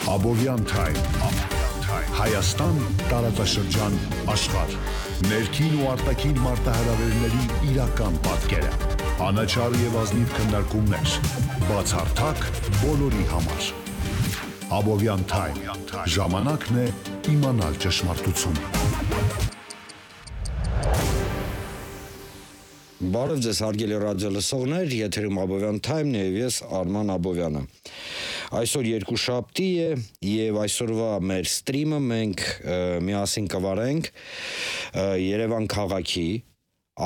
Abovyan Time Հայաստան տարածաշրջան աշխարհ ներքին ու արտաքին մարտահրավերների իրական պատկերը անաչառ եւ ազնիվ քննարկումներ բացառթակ բոլորի համար Abovyan Time ժամանակն է իմանալ ճշմարտությունը Բարև ձեզ հարգելի ռադիո լսողներ, եթերում Abovyan Time-ն է եւ ես Արման Աբովյանը։ Այսօր երկուշաբթի է եւ այսօրվա մեր սթրիմը մենք միասին կվարենք Երևան քաղաքի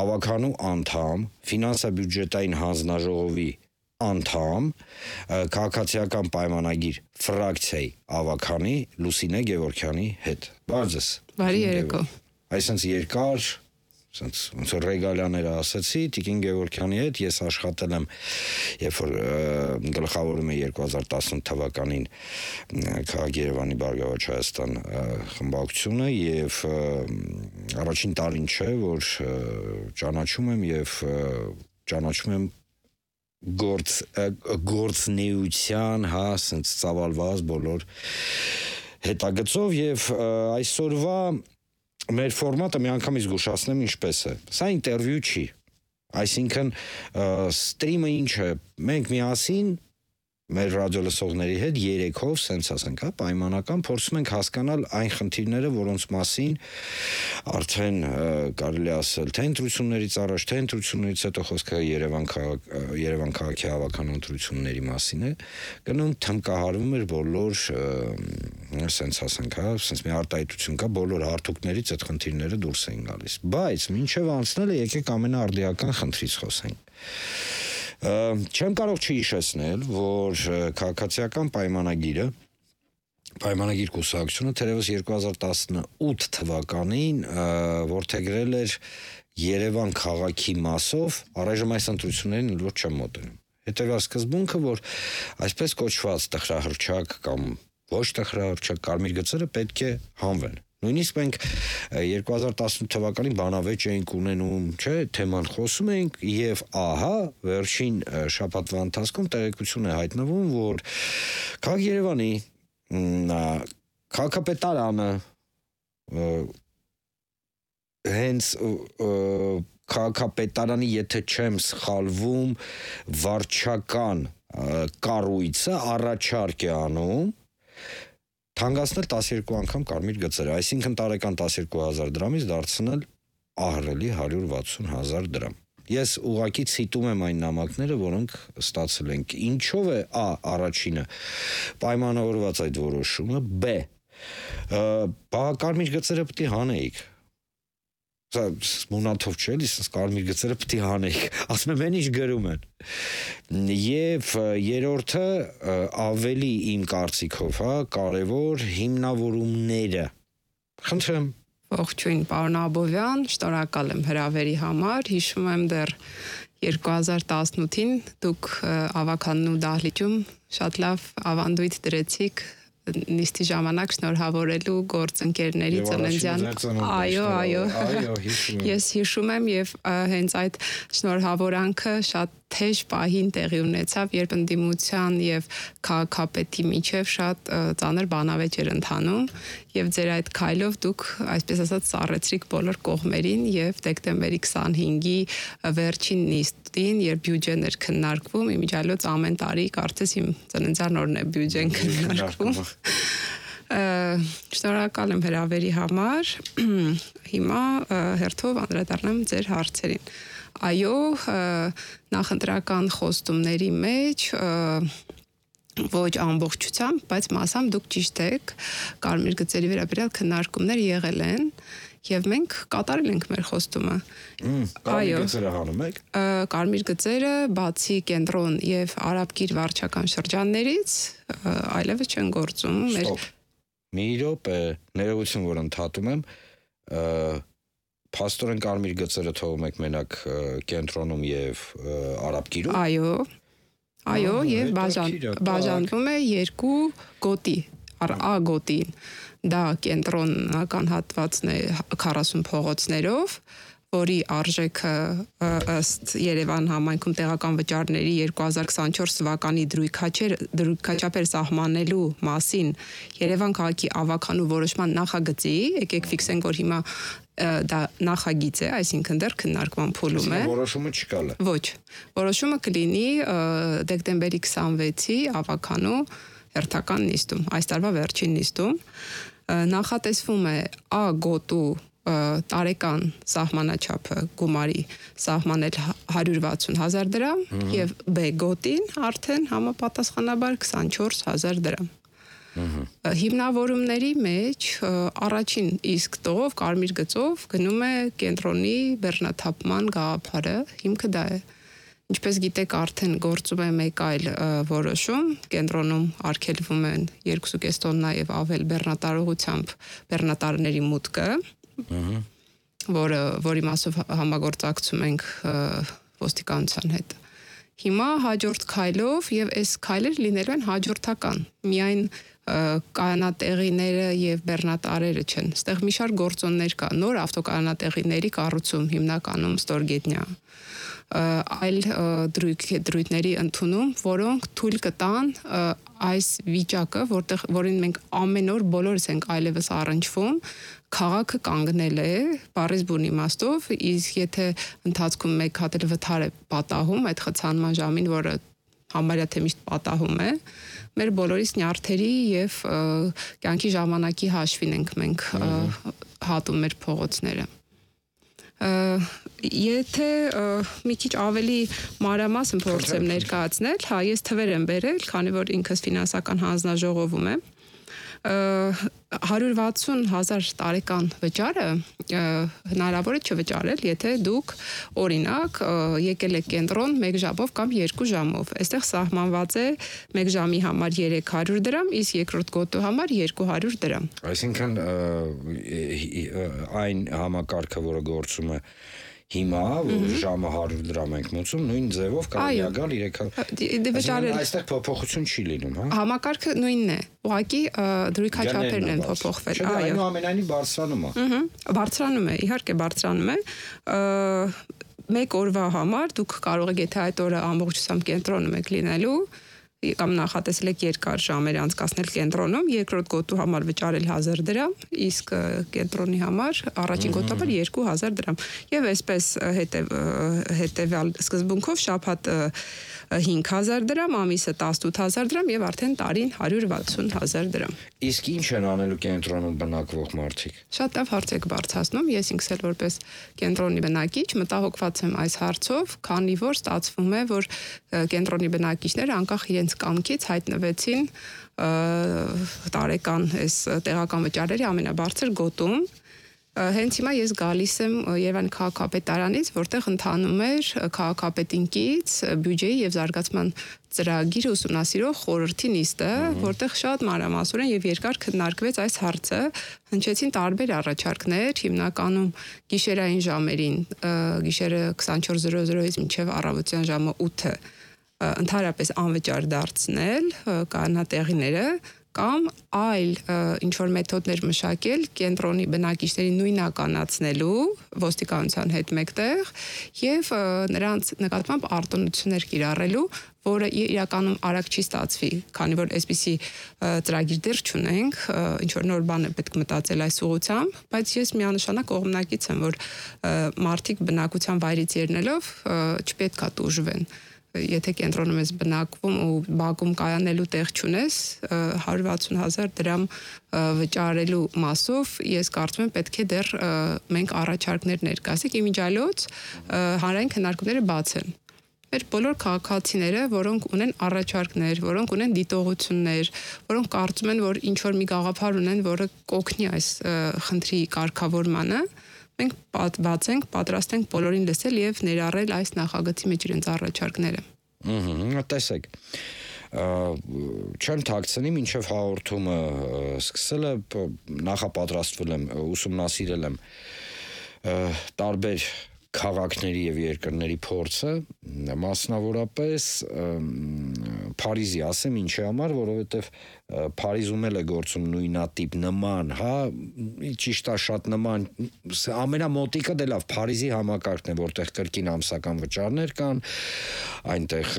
ավականու անդամ, ֆինանսա-բյուջետային հանձնաժողովի անդամ, քաղաքացիական պայմանագիր ֆրակցիայի ավականի Լուսինե Գևորգյանի հետ։ Բարև ձեզ։ Բարի երեկո։ Այսինքն երկար ոնց որ ռեգալիաները ասացի, Տիկին Գևորգյանի հետ ես աշխատել եմ, երբ որ գլխավորում եմ 2018 թվականին քաղաք Երևանի Բարգավաճ Հայաստան խմբակցությունը եւ առաջին տարին չէ, որ ճանաչում եմ եւ ճանաչում եմ գործնեության, ասենց ծավալված բոլոր հետագծով եւ այսօրվա մեր ֆորմատը մի անգամ զգուշացնեմ ինչպես է։ Սա ինտերվյու չի։ Այսինքն սթրիմը ինչ է։ Մենք միասին մեր ռադիոլսողների հետ երեքով, սենց ասենք, պայմանական փորձում ենք հասկանալ այն խնդիրները, որոնց մասին արդեն կարելի ասել, թե ընտրություններից առաջ, թե ընտրություններից հետո խոսքը Երևան քաղաքի հավաքան ընտրությունների մասին է, գնում թմկահարվում էր բոլոր սենց ասենք, սենց մի արտահայտություն կա, բոլոր հարթուկներից այդ խնդիրները դուրս էին գալիս։ Բայց մինչև անցնելը եկեք ամենաարդիական խնդրից խոսենք։ Չեմ կարող չհիշեցնել, որ քաղաքացիական պայմանագիր կուսակցությունը թերևս 2018 թվականին որդեգրել էր Երևան քաղաքի մասով, առայժմ այս ընտրություններին ոչ չեմ մոտենում։ Հետևյալ սկզբունքը, որ այսպես կոչված տխրահռչակ կամ ոչ տխրահռչակ կարմիր գծերը պետք է հանվեն։ Նույնիսկ մենք 2018 թվականին բանավեճ էինք ունենում, չէ, թեման խոսում էինք եւ ահա վերջին շաբաթվա ընթացքում տեղեկություն է հայտնվում, որ քաղաք Երևանի քաղաքապետարանը հենց քաղաքապետարանի, եթե չեմ սխալվում, վարչական կառույցը առաջարկ է անում թանկացնել 12 անգամ կարմիր գծերը, այսինքն տարեկան 12,000 դրամից դարձնել ահռելի 160,000 դրամ։ Ես ուղղակի ցիտում եմ այն նամակները, որոնք ստացել ենք։ Ինչով է առաջինը պայմանավորված այդ որոշումը, բ կարմիր գծերը պետք է հանեիք։ Սա մունաթով չէ, իսկ կարմիր գծերը պետք է հանեիք։ Ասում եմ, ինչ գրում են։ Եվ երրորդը ավելի իմ կարծիքով, կարևոր հիմնավորումները։ Խնդրեմ։ Ողջույն, պարոն Աբովյան, շնորհակալ եմ հրավերի համար։ Հիշում եմ դեռ 2018-ին դուք ավականու դահլիճում շատ լավ ավանդույթ դրեցիք նիստի ժամանակ շնորհավորելու գործընկերների ծննդյան։ Այո, ես հիշում եմ եւ հենց այդ շնորհավորանքը շատ թեժ պահին տեղի ունեցավ, երբ ընդդիմության եւ քաղաքապետի միջև շատ ծանր բանավեճ էր ընթանում եւ ձեր այդ քայլով դուք այսպես ասած սառեցրիք բոլոր կողմերին եւ դեկտեմբերի 25-ի վերջին նիստին, երբ բյուջեն էր քննարկվում, իմիջիալոց ամեն տարի կարծես իմ ծննդյան օրն է բյուջեն քննարկվում։ Շնորհակալ եմ հրավերի համար։ Հիմա հերթով անդրադառնամ ձեր հարցերին։ Այո, նախընտրական խոստումների մեջ ոչ ամբողջությամբ, բայց մասամբ դուք ճիշտ եք, կարմիր գծերի վերաբերյալ քննարկումներ եղել են եւ մենք կատարել ենք մեր խոստումը։ Կարմիր գծերը հանում եք։ Կարմիր գծերը բացի կենտրոն եւ Արաբկիր վարչական շրջաններից այլևս չեն գործում։ Մի րոպե, ներողություն, որ ընդհատում եմ, փաստորեն կարմիր գծերը թողում եք մենակ կենտրոնում եւ Արաբկիրում։ Այո, եւ բաժանվում է երկու գոտի, A գոտին, դա կենտրոնական հատվածն է 40 փողոցներով, որի արժեքը ըստ Երևան համայնքում տեղական վճարների 2024 թվականի դրույքաչափեր սահմանելու մասին Երևան քաղաքի ավականու որոշման նախագծի, եկեք ֆիքսենք, որ հիմա դա նախագիծ է, այսինքն դեռ քննարկման փուլում է։ Որոշումը չկա լը։ Ոչ, որոշումը կլինի դեկտեմբերի 26-ի ավականու հերթական նիստում, այս տարվա վերջին նիստում, նախատեսվում է A գոտու տարեկան սահմանաչափը գումարի սահմանել 160,000 դրամ եւ B գոտին արդեն համապատասխանաբար 24,000 դրամ։ Հիմնավորումների մեջ առաջին իսկ տող կարմիր գծով գնում է կենտրոնի բեռնաթափման գաղափարը, հիմքը դա է։ Ինչպես գիտեք, արդեն գործում է մեկ այլ որոշում, կենտրոնում արգելվում են 2.5 տոննա եւ ավել բեռնատարողությամբ բեռնատարների մուտքը, որի մասով համագործակցում ենք ոստիկանության հետ։ Հիմա հաջորդ քայլով եւ այս քայլերը լինելու են հաջորդական։ Միայն կայանատեղիները եւ բեռնատարերը չեն։ Այստեղ մի շարք գործոններ կա, նոր ավտոկայանատեղիների կառուցում հիմնականում ստորգետնյա, այլ դրույթների ընդունում, որոնք թույլ կտան այս վիճակը, որին մենք ամեն օր բոլորս ենք այլևս առնչվում, քաղաքը կանգնել է, բառից բուն իմաստով, իսկ եթե ընթացքում մեկ հատ էլ վթար է պատահում այդ խցանման ժամին, որը համարյա թե միշտ պատահում է, մեր բոլորիս նյարդերի եւ կյանքի ժամանակի հաշվին ենք մենք հատում մեր փողոցները։ Եթե մի քիչ ավելի մանրամասն փորձեմ ներկայացնել, հա, ես թվեր եմ բերել, քանի որ ինքս ֆինանսական հանձնաժողովում եմ, 160,000 տարեկան վճարը հնարավոր է չվճարել, եթե դուք օրինակ եկել եք կենտրոն 1 ժամով կամ 2 ժամով։ Այստեղ սահմանված է 1 ժամի համար 300 դրամ, իսկ երկրորդ գոտու համար 200 դրամ։ Այսինքն այն համակարգը, որը գործում է հիմա, ժամը 100 դրամ ենք մուծում, նույն ձևով կարելի է գալ 300։ Այստեղ փոփոխություն չի լինում, հա։ Համակարգը նույնն է։ Ուղղակի դրույքաչափերն են փոփոխվել, այո։ Այնուամենայնիվ բարձրանում է։ Բարձրանում է, իհարկե բարձրանում է։ Մեկ օրվա համար դուք կարող եք, եթե այդ օրը ամբողջությամբ կենտրոնում եք լինելու, կամ նախատեսել եք երկար ժամեր անցկացնել կենտրոնում, երկրորդ գոտու համար վճարել 1000 դրամ, իսկ կենտրոնի համար առաջին գոտու համար 2000 դրամ։ Եվ այսպես հետևյալ սկզբունքով շաբաթը 5000 դրամ, ամիսը 18000 դրամ եւ արդեն տարին 160,000 դրամ։ Իսկ ինչ են անելու կենտրոնում բնակվող մարդիկ։ Շատ լավ հարց եք բարձրացնում, ես ինքս էլ որպես կենտրոնի բնակիչ մտահոգված եմ այս հարցով, քանի որ ստացվում է, որ կենտրոնի բնակիչները անկախ իրենց կամքից հայտնվեցին տարեկան այս տեղական վճարերի ամենաբարձր գոտում։ Հենց հիմա ես գալիս եմ Երևանի քաղաքապետարանից, որտեղ ընթանում էր քաղաքապետինքից բյուջեի եւ զարգացման ծրագիր ուսումնասիրող խորհրդի նիստը, որտեղ շատ մանրամասնորեն եւ երկար քննարկվեց այս հարցը, հնչեցին տարբեր առաջարկներ, հիմնականում գիշերային ժամերին, գիշերը 24:00-ից մինչեւ առավոտյան ժամը 8-ը ընդհանրապես անվճար դարձնել կանատեղիները կամ այլ ինչ-որ մեթոդներ մշակել կենտրոնի բնակիչների նույնականացնելու ոստիկանության հետ մեկտեղ եւ նրանց նկատմամբ արտոնություններ կիրառելու, որը իրականում արագ չի ստացվի, քանի որ այսպիսի ծրագիր դեռ չունենք, ինչ-որ նոր բան է պետք մտածել այս ուղղությամբ, բայց ես միանշանակ կողմնակից եմ, որ մարդիկ բնակության վայրից ելնելով չպետք է տուժվեն։ Եթե կենտրոնում ես բնակվում ու բակում կայանելու տեղ չունես, 160,000 դրամ վճարելու մասով ես կարծում եմ պետք է դեռ մենք առաջարկներ ներկայացնենք, իմիջիայլոց հանրային քննարկումները բաց են։ Մեր բոլոր քաղաքացիները, որոնք ունեն առաջարկներ, որոնք ունեն դիտողություններ, որոնք կարծում են, որ ինչ-որ մի գաղափար ունեն, որը կօգնի այս խնդրի կարգավորմանը, մենք բաց ենք, պատրաստ ենք բոլորին լսել եւ ներառել այս նախագծի մեջ իրենց առաջարկները։ Տեսեք, չեմ թաքցնի, մինչև հաղորդումը սկսելը նախապատրաստվել եմ, ուսումնասիրել եմ տարբեր քաղաքների եւ երկրների փորձը, մասնավորապես Փարիզի, ասեմ ինչի համար, որովհետև Փարիզում էլ է գործում նույնատիպ նման, հա, ճիշտ է շատ նման, ամենամոտիկը դե լավ Փարիզի համակարգն է, որտեղ կրկին ամսական վճարներ կան, այնտեղ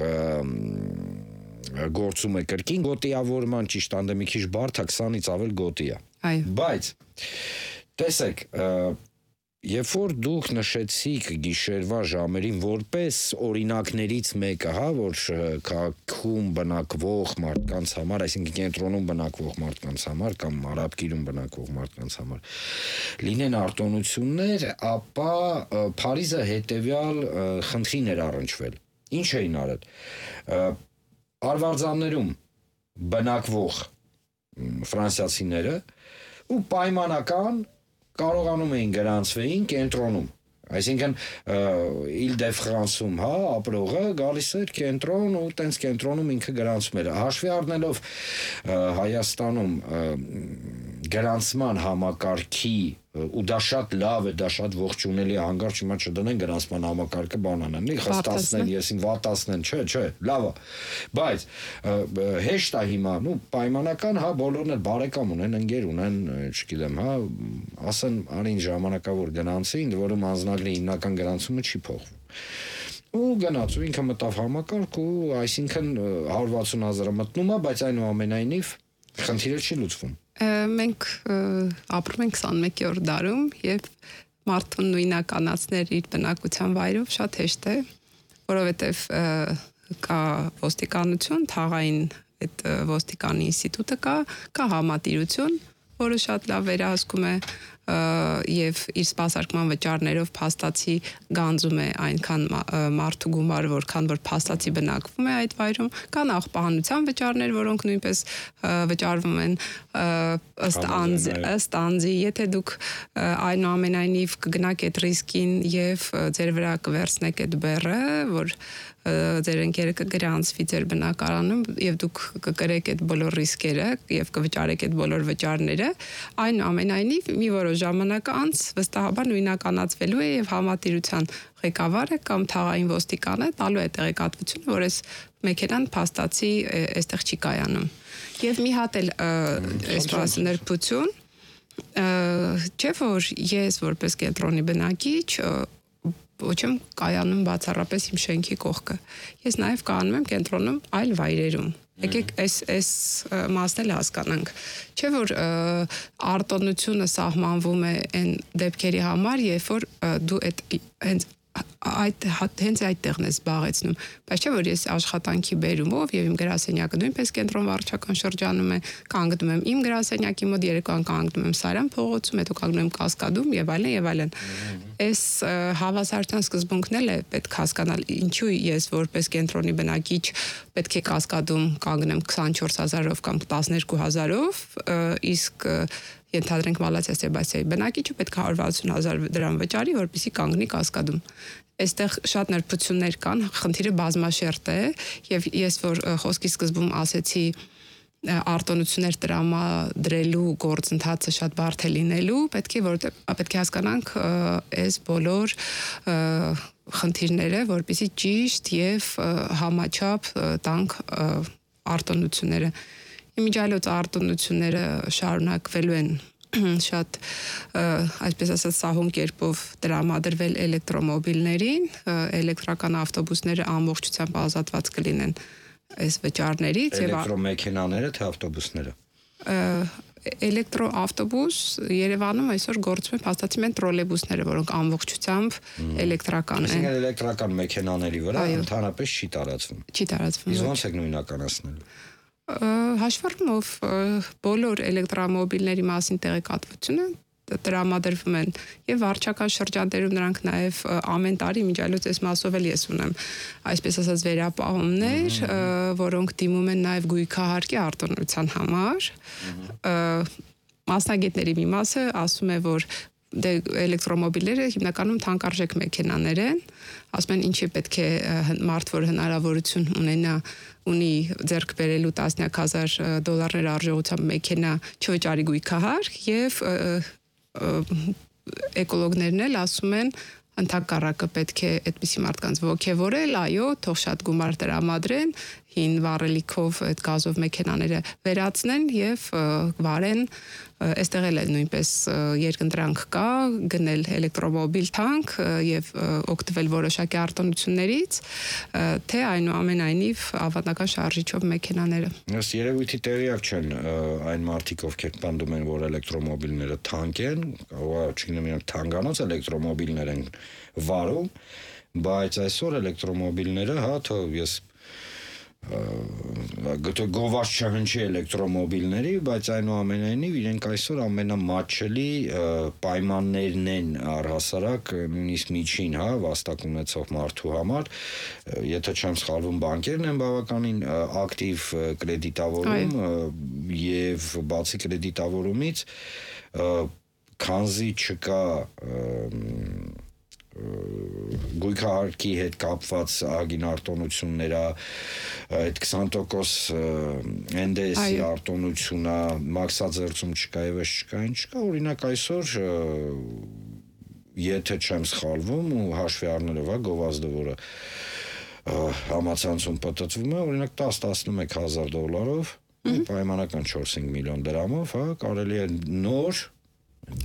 գործում է կրկին գոտիավորման, ճիշտ անդե մի քիչ բարդ է, 20-ից ավել գոտի է։ Բայց տեսեք, երբ որ դուք նշեցիք գիշերվա ժամերին որպես օրինակներից մեկը, հա, որ քաղաքում բնակվող մարդկանց համար, այսինքն կենտրոնում բնակվող մարդկանց համար կամ արաբկիրում բնակվող մարդկանց համար լինեն արտոնություններ, ապա Փարիզը հետևյալ խնդրին էր առնչվել։ Ինչ էին արել։ Արվարձաններում բնակվող ֆրանսիացիները ու պայմանական կարողանում էին գրանցվեին կենտրոնում, այսինքն Իլ-դե-Ֆրանսում, հա, ապրողը գալիս էր կենտրոն ու տենց կենտրոնում ինքը գրանցում էր, հաշվի առնելով Հայաստանում գրանցման համակարգի ու դա շատ լավ է, դա շատ ողջունելի է, հանգարց հիմա չդնեն գրանցման համակարգը բանանան, խստացնեն, եսին վատացնեն, չէ, լավ է, բայց հեշտ է հիմա, պայմանական, հա, բոլորն էլ բարեկամ ունեն, ընկեր ունեն, չգիտեմ, հա, ասեն արին ժամանակավոր գնանցի, ինձ որում անձնագրի հիմնական գրանցումը չի փոխվում։ Ու գնաց ու ինքը մտավ համակարգ ու այսինքն 160,000-ը մտնում է, բայց այնուամենայնիվ խնդիրը չի լուծվում։ Մենք ապրում ենք 21-րդ դարում եւ մարդուն նույնականացնել իր բնակության վայրով շատ հեշտ է, որովհետեւ կա ոստիկանություն, թաղային այդ ոստիկանի ինստիտուտը կա համատիրություն, որը շատ լավ վերահսկում է եւ իր սպասարկման վճարներով փաստացի գանձում է այնքան մարդու գումար, որքան որ փաստացի բնակվում է այդ վայրում, կան աղբահանության վճարներ, որոնք նույնպես վճարվում են ըստ անձի, եթե դուք այնուամենայնիվ կգնաք այդ ռիսկին եւ ձեր վրա կվերցնեք այդ բեռը, որ ձեր ընկերը կգրանցվի ձեր բնակարանում եւ դուք կկրեք այդ բոլոր ռիսկերը եւ կվճարեք այդ բոլոր վճարները, այնուամենայնիվ մի որոշ ժամանակ անց վստահաբար նույնականացվելու է եւ համատիրության ղեկավարը կամ թաղային ոստիկանը տալու է տեղեկատվություն, որ այս մեքենան փաստացի այստեղ չի կայանում։ Եվ մի հատ էլ այսպես ներբություն, չէ՞ որ ես որպես կենտրոնի բնակիչ ոչ եմ կայանում բացառապես իմ շենքի կողքը։ Ես նաև կայանում եմ կենտրոնում այլ վայրերում։ Եկեք այս մասն էլ հասկանանք։ Չէ՞ որ արտոնությունը սահմանվում է այն դեպքերի համար, երբ որ դու հենց այդտեղն ես զբաղեցնում, բայց չէ՞ որ ես աշխատանքի բերումով եւ իմ գրասենյակը նույնպես կենտրոն վարչական շրջանում է, կանգնում եմ իմ գրասենյակի մոտ, երեկոյան կանգնում եմ Սարյան փողոցում, հետո կանգնում եմ Կասկադում եւ այլն։ Այս հավասարության սկզբունքն էլ է պետք հասկանալ, ինչու ես որպես կենտրոնի բնակիչ պետք է Կասկադում կանգնեմ 24,000-ով կամ 12,000-ով, իսկ ենթադրենք Մալաթիա Սեբաստիայի բնակիչը պետք է 160,000 դրամ վճարի, որպեսզի կանգնի Կասկադում։ Այստեղ շատ նրբություններ կան, խնդիրը բազմաշերտ է եւ ես որ խոսքի սկզբում ասեցի արտոնություններ տրամադրելու գործընթացը շատ բարդ է լինելու, պետք է հասկանանք այս բոլոր խնդիրները, որպեսզի ճիշտ եւ համաչափ տանք արտոնությունները։ Իմիջիալոց արտոնությունները շարունակվելու են շատ այսպես ասած սահուն կերպով տրամադրվել էլեկտրոմոբիլներին, էլեկտրական ավտոբուսները ամբողջությամբ ազատված կլինեն այս վճարներից եւ էլեկտրոմեքենաները թե ավտոբուսները։ Էլեկտրոավտոբուս Երևանում այսօր գործում են փաստացի մեն տրոլեյբուսները, որոնք ամբողջությամբ էլեկտրական են։ Այսինքն էլեկտրական մեքենաների վրա ընդհանրապես չի տարածվում։ Չի տարածվում։ Իսկ ո՞նց եք նույնականացնելու։ Հաշվառումով բոլոր էլեկտրոմոբիլների մասին տեղեկատվությունը տրամադրվում են եւ վարչական շրջաններում նրանք նաեւ ամեն տարի միջալոց այս մասով էլ ես ունեմ այսպես ասած վերապահումներ, որոնք դիմում են նաեւ գույքահարկի արտոնության համար։ Մասնագետների մի մասը ասում է, որ էլեկտրոմոբիլները հիմնականում թանկարժեք մեքենաներ են, ասում են ինչի պետք է մարդ որ հնարավորություն ունի ձեռք բերելու տասնյակ հազար դոլարներ արժողությամբ մեքենա չվճարի գույքահարկ եւ էկոլոգներն էլ ասում են ընդհակառակը պետք է այդպիսի մարդկանց ոգևորել, այո, թող շատ գումար տրամադրեն հին վառելիքով այդ գազով մեքենաները վերացնեն եւ վարեն այստեղ էլ նույնպես երկընտրանք կա գնել էլեկտրոմոբիլ թանկ եւ օգտվել որոշակի արտոնություններից թե այնուամենայնիվ ավանդական շարժիչով մեքենաները Ըստ երևույթի տեղյակ չեն այն մարդիկ ովքեր պնդում են որ էլեկտրոմոբիլները թանկ են կարող չգիտեմ իրանք թանկանոց էլեկտրոմոբիլներ են վարում բայց այսօր էլեկտրոմոբիլները հա թող ես գտե գովաշ չհնչի էլեկտրոմոբիլների, բայց այնուամենայնիվ իրենք այսօր ամենամատչելի պայմաններն են առհասարակ նույնիսկ միջին, հա, վաստակ ունեցող մարդու համար, եթե չեմ սխալվում, բանկերն են բավականին ակտիվ կրեդիտավորում եւ բացի կրեդիտավորումից քանզի չկա գույքահարկի հետ կապված ագին արտոնությունները այդ 20% NDS-ի արտոնությունը մաքսաձերծում չկա եւ չկա ինչ չկա օրինակ այսօր եթե չեմ սխալվում ու հաշվի առնելով հա գովազդը որը համացանցում պատտվում է օրինակ 10-11 հազար դոլարով պայմանական 4-5 միլիոն դրամով հա կարելի է նոր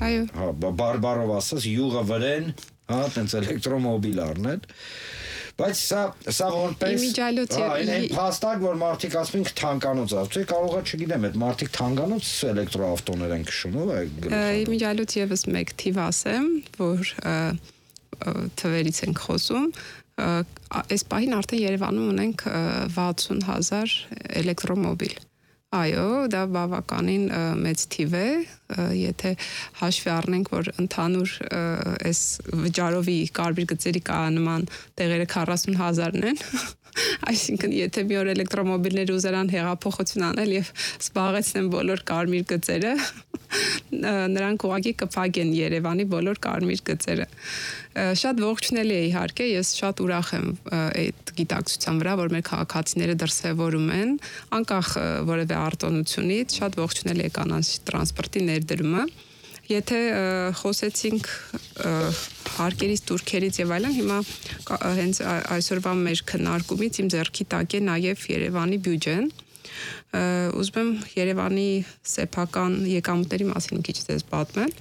այո հա բարբարով ասած յուղը վրեն հա տենց էլեկտրոմոբիլ առնել բայց սա որպես այն փաստակ որ մարդիկ ասում են թանկանոց ավտո կարող է չգիտեմ այդ մարդիկ թանկանոց էլեկտրոավտոներ են քշում ով է իմիջիալոց եւս մեկ թիվ ասեմ որ թվերից ենք խոսում այս պահին արդեն Երևանում ունենք 60,000 էլեկտրոմոբիլ Այո, դա բավականին մեծ թիվ է, եթե հաշվի առնենք, որ ընդհանուր այս վճարովի կարմիր գծերի կայանման տեղերը 40,000-ն են, այսինքն եթե մի օր էլեկտրոմոբիլներ ուզերան հեղափոխություն անել եւ զբաղեցնեն բոլոր կարմիր գծերը, նրանք ուղղակի կփակեն Երևանի բոլոր կարմիր գծերը։ Շատ ողջունելի է իհարկե, ես շատ ուրախ եմ այդ գիտակցության վրա, որ մեր քաղաքացիները դրսևորում են, անկախ որևէ արտոնությունից, շատ ողջունելի է կանանչ տրանսպորտի ներդրումը։ Եթե խոսեցինք հարկերից, турքերից եւ այլն, հիմա հենց այսօրվա մեր քննարկումից իմ ձեռքի տակ է նաեւ Երևանի բյուջեն։ Ուզում եմ Երևանի սեփական եկամուտների մասին մի քիչ ձեզ պատմել։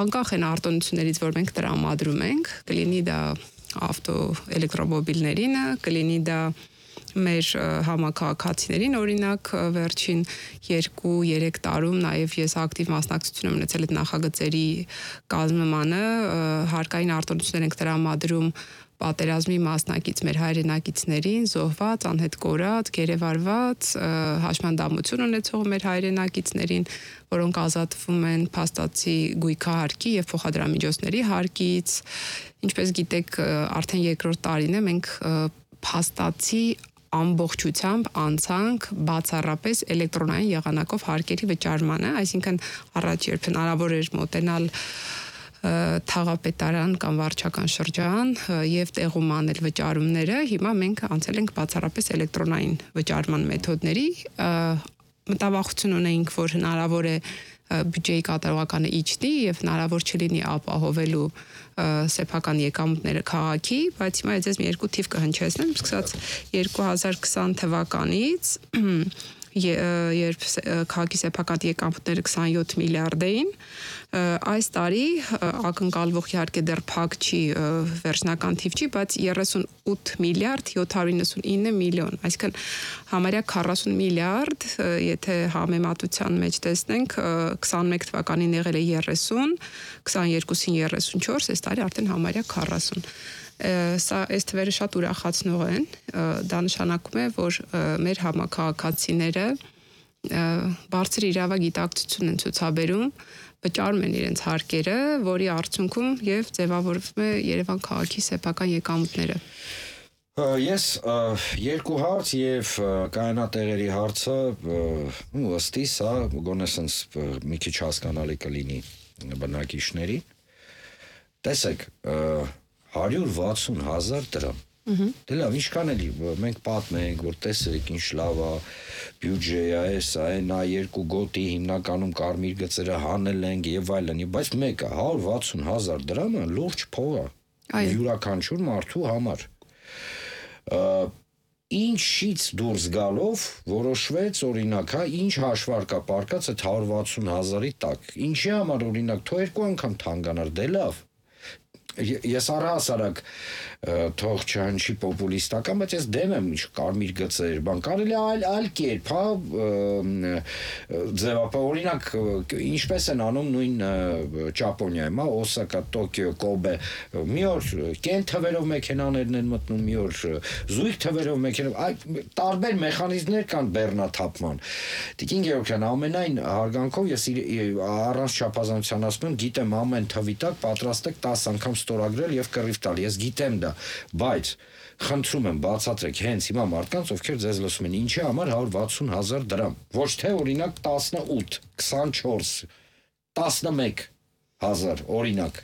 Անկախ են արտոնություններից, որ մենք տրամադրում ենք, կլինի դա ավտո էլեկտրոմոբիլներինը, կլինի դա մեր համակարգացիներին օրինակ վերջին 2-3 տարում նաև ես ակտիվ մասնակցություն եմ ունեցել այդ նախագծերի կազմմանը հարկային արտոնություններ ենք տրամադրում պատերազմի մասնակից մեր հայրենակիցներին զոհված, անհետ կորած, գերեվարված, հաշմանդամություն ունեցող մեր հայրենակիցներին, որոնք ազատվում են փաստացի գույքահարկի եւ փոխադրամիջոցների հարկից, ինչպես գիտեք, արդեն երկրորդ տարին է մենք փաստացի ամբողջությամբ անցանք բացառապես էլեկտրոնային եղանակով հարկերի վճարմանը, այսինքն առաջ երբ հնարավոր էր մոտենալ թաղապետարան կամ վարչական շրջան եւ տեղում անել վճարումները, հիմա մենք անցել ենք բացառապես էլեկտրոնային վճարման մեթոդների, մտավախություն ունեինք, որ հնարավոր է բյուջեի կատարողականը իջնի եւ հնարավոր չլինի ապահովելու սեփական եկամուտները քաղաքի, բայց հիմա ես մի երկու թիվ կհնչեցնեմ, սկսած 2020 թվականից, երբ քաղաքի սեփական եկամուտները 27 միլիարդ էին, այս տարի ակնկալվող իհարկե դեռ փակ չի վերջնական թիվ չի, բայց 38 միլիարդ 799 միլիոն, այսինքն համարյա 40 միլիարդ, եթե համեմատության մեջ տեսնենք, 21 թվականին եղել է 30, 22-ին 34, այս տարի արդեն համարյա 40 Սա այս թվերը շատ ուրախացնող են, դա նշանակում է, որ մեր համակարգացիները բարձր իրավագիտակցություն են ցուցաբերում, վճարում են իրենց հարկերը, որի արդյունքում եւ ձևավորվում է Երևան քաղաքի սեփական եկամուտները։ Ես երկու հարց եւ կայանատեղերի հարցը ըստ իս, հա, գոնե sense մի քիչ հասկանալի կլինի բնակիչներին։ Տեսեք, 160,000 դրամ։ Դե լավ, ինչքան էլի մենք պատմենք, որ տեսեք ինչ լավ է, բյուջե է, սա է, նա երկու գոտի հիմնականում կարմիր գծերը հանել ենք եւ այլն, բայց մեկը 160,000 դրամը լուրջ փող է յուրաքանչյուր մարդու համար։ ինչից դուրս գալով որոշվեց օրինակ, ինչ հաշվարկա պարկած այդ 160,000-ի տակ։ Ինչի համար օրինակ թող 2 անգամ թանկանար, դե լավ։ Ես առհասարակ թող չհնչի պոպուլիստական, բայց ես դեմ եմ ինչ կարմիր գծեր, բան կարելի այլ կերպ, ձևապա օրինակ ինչպես են անում նույն Ճապոնիայում, Օսակա, Տոկիո, Կոբե, մի օր կեն թվերով մեքենաներն են մտնում, մի օր զույգ թվերով մեքենա, տարբեր մեխանիզմներ կան բեռնաթափման։ Տիկին Գեորգյան, ամենայն հարգանքով ես առանց չափազանցության ասում եմ, գիտեմ ամեն թվի տակ պատրաստ եք 10 անգամ ստորագրել եւ կռիվ տալ, ես գիտեմ դա, բայց խնդրում եմ բացատրեք հենց հիմա մարդկանց, ովքեր ձեզ լսում են, ինչի համար 160,000 դրամ, ոչ թե օրինակ 18, 24, 11,000 օրինակ։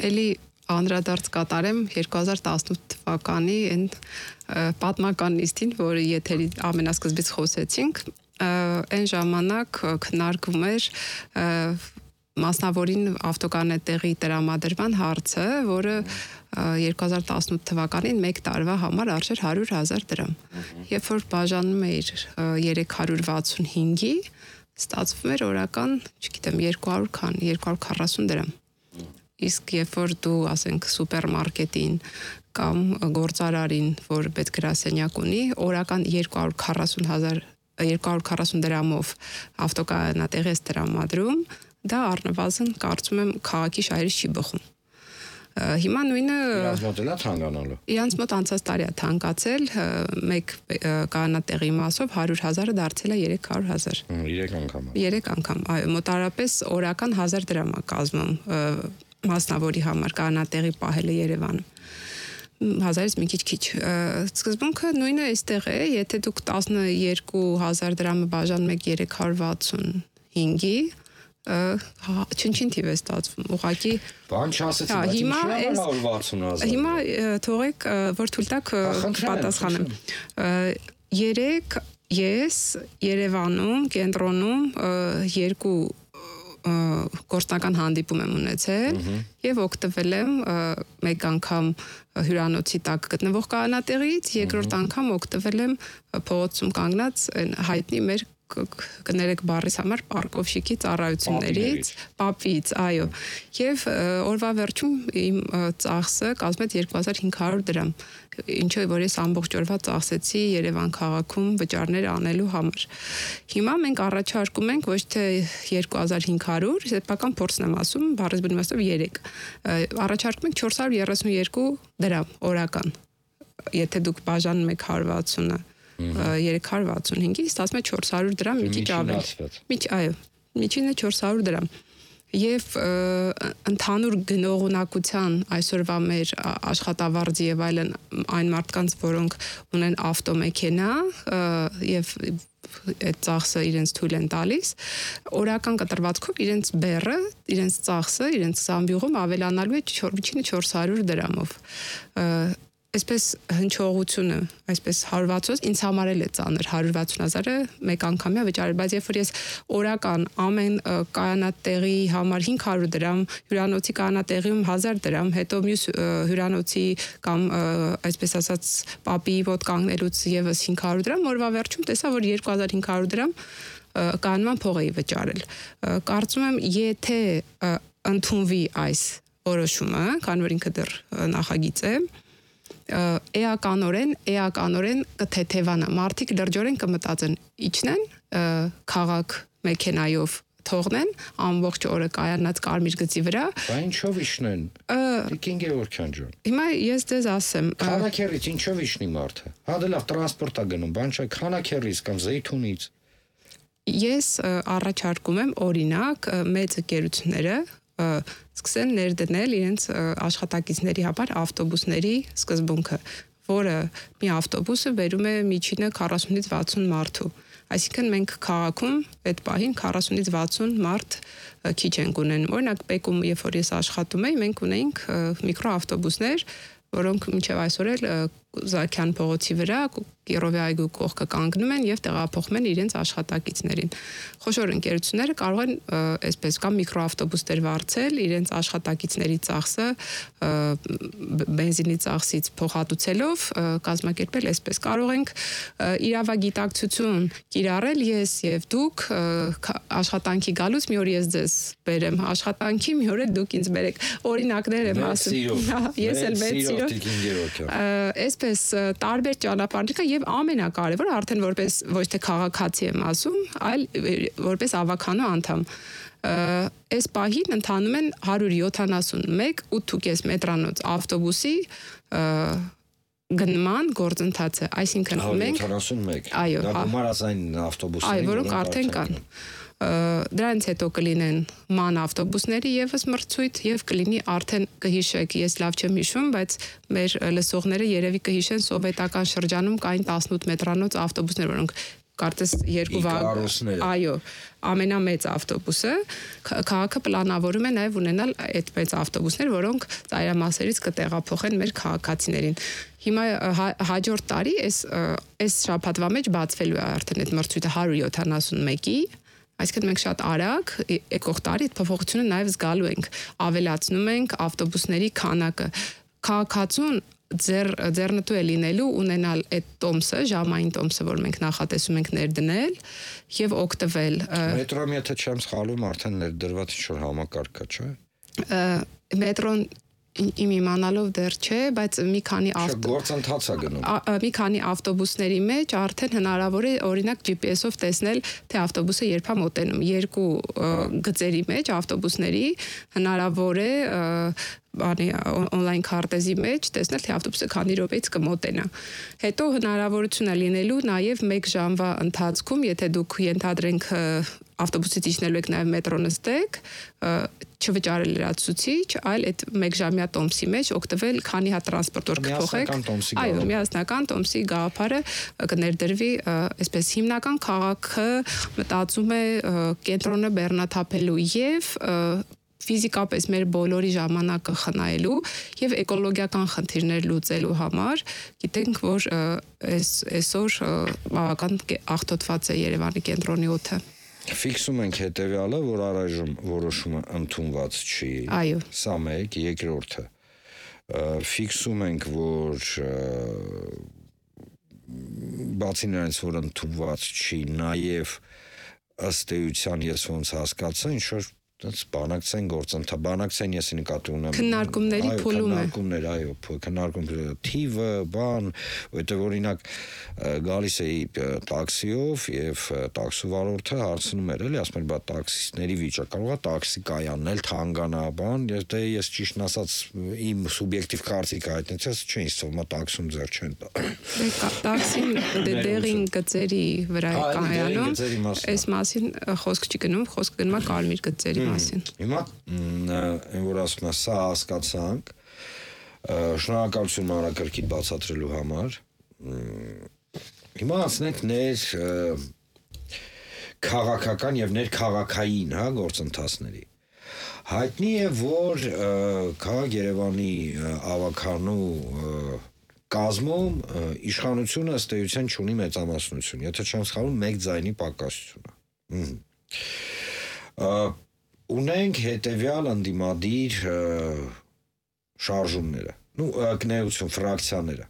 Էլի անդրադարձ կատարեմ 2018 թվականի այն պատմական նիստին, որը եթերի ամենասկզբից խոսեցինք, այն ժամանակ քննարկվում էր մասնավորին ավտոկանետեղի տրամադրման հարցը, որը 2018 թվականին մեկ տարվա համար արժեր 100,000 դրամ։ Երբ որ բաժանում էր 365-ի, ստացվում էր օրական, չգիտեմ, 200 քան, 240 դրամ։ Իսկ երբ որ դու, ասենք, սուպերմարկետին կամ գործարարին, որ պետգրասենյակ ունի, օրական 240 դրամով ավտոկանետեղ ես տրամադրում, դա առնվազն կարծում եմ քաղաքի շահերից չի բխում։ Հիմա նույնը իրանց մոտ էլա թանկանալու։ Իրանց մոտ անցած տարի է թանկացել, մեկ կանատեղի մասով 100,000-ը դարձել է 300,000։ 3 անգամ։ 3 անգամ, այո, մոտարապես օրական 1000 դրամ է կազմում մասնավորի համար կանատեղի պահելը Երևանում։ 1000-ից մի քիչ։ Սկզբունքը նույնը այստեղ է, եթե դուք 12,000 դրամը բաժանում եք 365-ի, չնչին թիվ է ստացվում, ուղղակի բան չասեցի, բայց ինչի համար 160,000։ Հիմա թողեք, որ թույլ տաք պատասխանեմ։ 3 ես Երևանում, կենտրոնում 2 գործնական հանդիպում եմ ունեցել եւ օգտվել եմ մեկ անգամ հյուրանոցի տակ գտնվող կանատեղից, երկրորդ անգամ օգտվել եմ փողոցում կանգնած հայտնի մեր կներեք բառիս համար պարկովշիկի ծառայություններից, պապից, այո։ Եվ օրվա վերջում իմ ծախսը կազմեց 2500 դրամ, ինչը որ ես ամբողջ օրվա ծախսեցի Երևան քաղաքում վճարներ անելու համար։ Հիմա մենք առաջարկում ենք ոչ թե 2500, սեփական փորձն եմ ասում, բառից բնույթով 3։ Առաջարկում ենք 432 դրամ օրական։ Եթե դուք բաժանում եք 160-ը 365-ի, ստացվում է 400 դրամ, մի քիչ ավել։ Այո, միջինը 400 դրամ։ Եվ ընդհանուր գնողունակության այսօրվա մեր աշխատավարձի եւ այլն այն մարդկանց, որոնք ունեն ավտոմեքենա եւ այդ ծախսը իրենց թույլ են տալիս, օրական կտրվածքով իրենց բեռը, իրենց ծախսը, իրենց զամբյուղում ավելանալու է միջինը 400 դրամով։ Այսպես հնչողությունը, այսպես 160, ինձ համար էլ է ծանր 160,000-ը մեկ անգամյա վճարել, բայց երբ որ ես օրական ամեն կանատեղի համար 500 դրամ, հյուրանոցի կանատեղիում 1000 դրամ, հետո մյուս հյուրանոցի կամ այսպես ասած պապի մոտ կանգնելուց եւս 500 դրամ, օրվա վերջում տեսա, որ 2500 դրամ կանոնման փող էի վճարել։ Կարծում եմ, եթե ընդունվի այս որոշումը, քանի որ ինքը դեռ նախագիծ է, էականորեն կթեթևանա, մարդիկ լրջորեն կմտածեն, իջնեն քաղաք մեքենայով թողնեն ամբողջ օրը կայանած կարմիր գծի վրա։ Բա ինչով իջնեն։ Տիկին Գեորգյան ջան։ Հիմա ես ձեզ ասեմ, Խանաքերից ինչով իջնի մարդը։ Հա դե լավ տրանսպորտ է գնում, բան չէ, Խանաքերից կամ Զեյթունից։ Ես առաջարկում եմ օրինակ մեծ ընկերությունները սկսեն ներդնել իրենց աշխատակիցների համար ավտոբուսների սկզբունքը, որը մի ավտոբուսը բերում է միջինը 40-ից 60 մարդու։ Այսինքն մենք քաղաքում այդ պահին 40-ից 60 մարդ քիչ ենք ունենում։ Օրինակ Պեկում, երբ որ ես աշխատում էի, մենք ունեինք միկրոավտոբուսներ, որոնք մինչև այսօր էլ Զաքյան փողոցի վրա Կիրովի այգու կողքը կանգնում են եւ տեղափոխում են իրենց աշխատակիցներին։ Խոշոր ընկերությունները կարող են այսպես կամ միկրոավտոբուսներ վարձել իրենց աշխատակիցների ծախսը բենզինի ծախսից փոխհատուցելով կազմակերպել այսպես։ Կարող ենք իրավագիտակցություն կիրառել ես եւ դուք աշխատանքի գալուց մի օր ես ձեզ բերեմ աշխատանքի, մի օր դուք ինձ բերեք։ Օրինակներ եմ ասում։ Ես էլ մեծ սիրով։ Այսպես տարբեր ճանապարհներ եւ ամենակարևորը արդեն որպես ոչ թե քաղաքացի եմ ասում, այլ որպես ավականու անդամ։ Այս պահին ընթանում են 171.8 մետրանոց ավտոբուսի գնման գործընթացը, այսինքն մենք 171 այո, դա գումարածային ավտոբուսներ, այո, որոնք արդեն կան։ Դրանից հետո կլինեն ման ավտոբուսների եւս մրցույթ եւ կլինի արդեն կհիշեք, ես լավ չեմ հիշում, բայց մեր լսողները երևի կհիշեն սովետական շրջանում կային 18 մետրանոց ավտոբուսներ, որոնք կարծես 2 վագոն, այո, ամենամեծ ավտոբուսը, քաղաքը պլանավորում է նաև ունենալ այդ մեծ ավտոբուսներ, որոնք ծայրամասերից կտեղափոխեն մեր քաղաքացիներին։ Հիմա հաջորդ տարի այս շաբաթվա մեջ բացվելու է արդեն այդ մրցույթը 171-ի, այսինքն մենք շատ արագ եկող տարի այդ փոփոխությունը նաև զգալու ենք, ավելացնում ենք ավտոբուսների քանակը։ Քաղաքացուն ձեռնտու է լինելու ունենալ այդ տոմսը, ժամային տոմսը, որ մենք նախատեսում ենք ներդնել եւ օգտվել։ Մետրոն, եթե չեմ սխալվում, արդեն ներդրված ինչ-որ համակարգ կա, չէ՞։ Մետրոն իմ իմանալով դեռ չէ, բայց մի քանի գործընթաց է գնում։ Մի քանի ավտոբուսների մեջ արդեն հնարավոր է օրինակ GPS-ով տեսնել, թե ավտոբուսը երբ է մոտենում։ Երկու գծերի մեջ ավտոբուսների հնարավոր է on-line քարտեզի մեջ տեսնել, թե ավտոբուսը քանի րոպեից կմոտենա։ Հետո հնարավորություն է լինելու նաև 1 ժամվա ընթացքում, եթե դուք ենթադրենք ավտոբուսից իջնելու եք նաև մետրո նստեք, չվճարել լրացուցիչ, այլ այդ 1 ժամյա տոմսի մեջ օգտվել, քանի հատ տրանսպորտոր կփոխեք։ Այո, միասնական տոմսի գաղափարը կներդրվի, այսպես հիմնական քաղաքը մտածում է կենտրոնը բեռնաթափելու եւ ֆիզիկապես մեր բոլորի ժամանակը խնայելու եւ էկոլոգիական խնդիրներ լուծելու համար գիտենք, որ այսօր բավական աղտոտված է Երևանի կենտրոնի օդը։ Ֆիքսում ենք հետեւյալը, որ առայժմ որոշումը ընդունված չի։ Այո։ Սա մեկ, երկրորդը։ Ֆիքսում ենք, որ բացի նրանից, որ ընդունված չի, նաև ըստ էության ես ոնց հասկացա, ինչ որ բանակցային գործընթաց, բանակցային ես նկատի ունեմ քննարկումների փուլում է։ Քննարկումներ, այո, քննարկումների թիվը, բան, որտեղ օրինակ գալիս էի տաքսիով եւ տաքսու վարորդը հարցնում էր, էլի, ասում էր, բա տաքսիստների վիճակը կարող է տաքսի կայանն էլ թանկանա, բան, ես ճիշտն ասած իմ սուբյեկտիվ կարծիքը հայտնեցի, չէ, ինձ թվում է տաքսում ձեռ չեն տա։ Տաքսին դեղին գծերի վրա է կայանում, այս մասին խոսք չի գնում, խոսք գնում է կարմիր գծերի մասին։ Հիմա այն որ ասում եմ, սա հասկացանք, շնորհակալություն մանրակրկիտ բացատրելու համար։ Հիմա անցնենք քաղաքական եւ ներքաղաքային, գործընթացների։ Հայտնի է, որ քաղաք Երևանի ավականու կազմում իշխանությունը ըստ էության չունի մեծամասնություն, եթե չեմ սխալվում, 1 ձայնի պակասություն է։ Ունենք հետևյալ ընդդիմադիր շարժումները, կնեություն, ֆրակցիաները։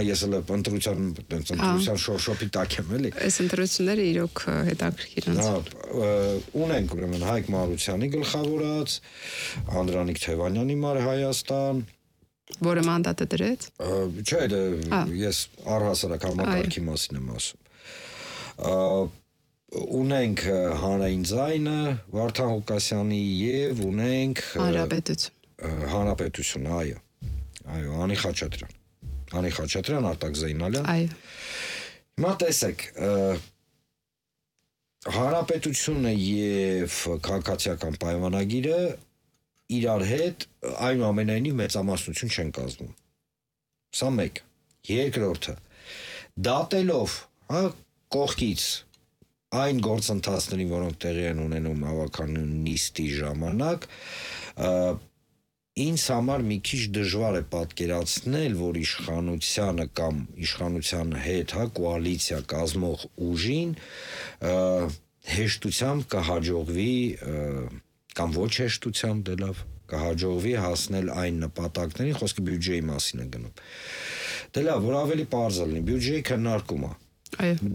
Ես էլ ընտրության շոշոպի տակ եմ, էլի։ Այս ընտրությունները իրոք հետաքրքիր են։ Ունենք ուրեմն Հայկ Մարությանի գլխավորած, Անդրանիկ Թևանյանի Մար Հայաստան, որը մանդատը դրեց։ Չէ, ես առհասարակ համակարգի մասին եմ ասում։ Ունենք Հանրային ձայնը Վարդան Ղուկասյանի եւ ունենք Հանրապետություն, այո, Անի Խաչատրյան, Արտակ Զեյնալյան։ Այո։ Հիմա տեսեք, Հանրապետությունը եւ քաղաքացիական պայմանագիրը իրար հետ այնուամենայնիվ մեծամասնություն չեն կազմում։ Սա մեկ։ Երկրորդը, դատելով, կողքից այն գործընթացներին, որոնք տեղի են ունենում ավականու նիստի ժամանակ, ինձ համար մի քիչ դժվար է պատկերացնել, որ իշխանությանը կամ իշխանության հետ, կոալիցիա կազմող ուժին հեշտությամբ կհաջողվի կամ ոչ հեշտությամբ դե լավ կհաջողվի հասնել այն նպատակներին, խոսքը բյուջեի մասին է գնում։ Դե լավ, որ ավելի պարզ լինի, բյուջեի քննարկումը։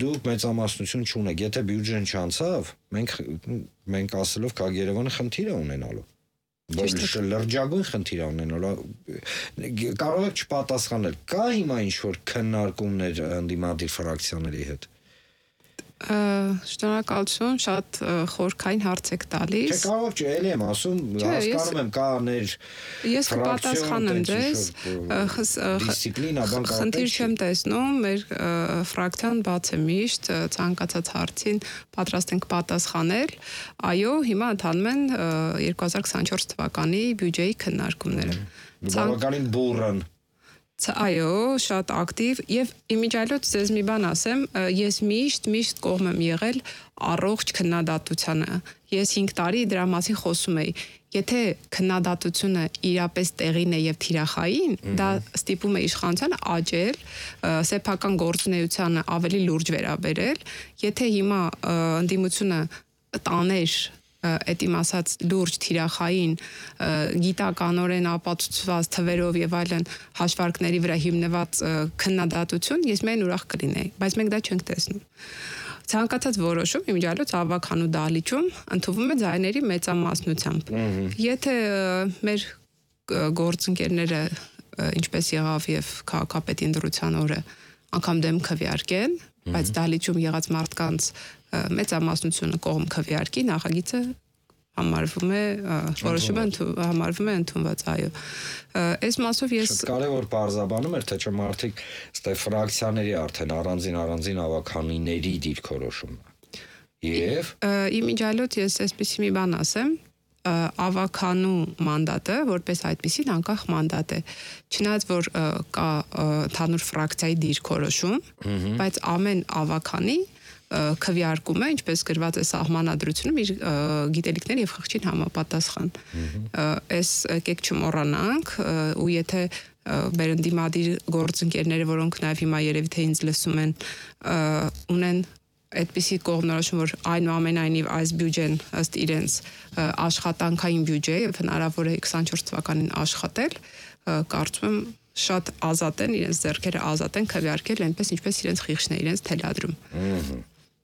Դուք մեծամասնություն չունեք, եթե բյուջեն չանցավ, մենք ասելով կա Երևանը խնդիր է ունենալու։ Լրջագույն խնդիր է ունենալու։ Կարող եք չպատասխանել։ Կա հիմա ինչ-որ քննարկումներ ընդդիմադիր ֆրակցիաների հետ։ Շնորհակալություն, շատ խորքային հարց եք տալիս։ Չէ, կարող չէ, էլի եմ ասում, հասկանում եմ, կա ներ ես կպատասխանեմ ձեզ, դիսցիպլինա, բան կարող խնդիր չեմ տեսնում, մեր ֆրակցիան բաց է միշտ, ցանկացած հարցին պատրաստ ենք պատասխանել։ Այո, հիմա ընթանում են 2024 թվականի բյուջեի քննարկումները։ Բավականին բուռն։ Այո, շատ ակտիվ եւ իմիջիայլոց ձեզ մի բան ասեմ, ես միշտ կողմ եմ եղել առողջ քննադատությանը։ Ես 5 տարի դրա մասին խոսում էի։ Եթե քննադատությունը իրապես տեղին է եւ թիրախային, դա ստիպում է իշխանությանը աճել, սեփական գործունեությանը ավելի լուրջ վերաբերել։ Եթե հիմա ընդդիմությունը տաներ այդ իմ ասած լուրջ թիրախային գիտականորեն ապացուցված թվերով եւ այլն հաշվարկների վրա հիմնված քննադատություն, ես միայն ուրախ կլինեի, բայց մենք դա չենք տեսնում։ Ցանկացած որոշում իմիջիայլոց ավականու դահլիճում ընդունվում է ձայների մեծամասնությամբ։ Եթե մեր գործընկերները ինչպես եղավ եւ քաղաքապետի ընտրության օրը անգամ դեմ քվեարկեն, բայց դահլիճում եղած մարդկանց մեծամասնությունը կողմ քվեարկի, նախագիծը համարվում է որոշումը համարվում է ընդունված, այո։ Այս մասով ես Շատ կարևոր բարձաբանում էր, թե չէ մարդիկ ստե ֆրակցիաների արդեն առանձին ավականիների դիրքորոշումն է։ Եվ իմիջիայլոց ես այսպեսի մի բան ասեմ, ավականու մանդատը որպես այդպեսին անկախ մանդատ է։ Չնայած որ կա ընդհանուր ֆրակցիայի դիրքորոշում, բայց ամեն ավականի քվեարկում է, ինչպես գրված է սահմանադրությունում, իր գիտելիքների եւ խղճին համապատասխան։ Այս եկեք չմոռանանք, ու եթե մեր ընդդիմադիր գործընկերները, որոնք նաեւ հիմա երևի թե ինձ լսում են, ունեն այդպիսի կողմնորոշում, որ այնուամենայնիվ այս բյուջեն ըստ իրենց աշխատանքային բյուջե եւ հնարավոր է 24 թվականին աշխատել, կարծում եմ շատ ազատ են, իրենց ձեռքերը ազատ են քվեարկել այնպես ինչպես իրենց խիղճն է իրենց թելադրում։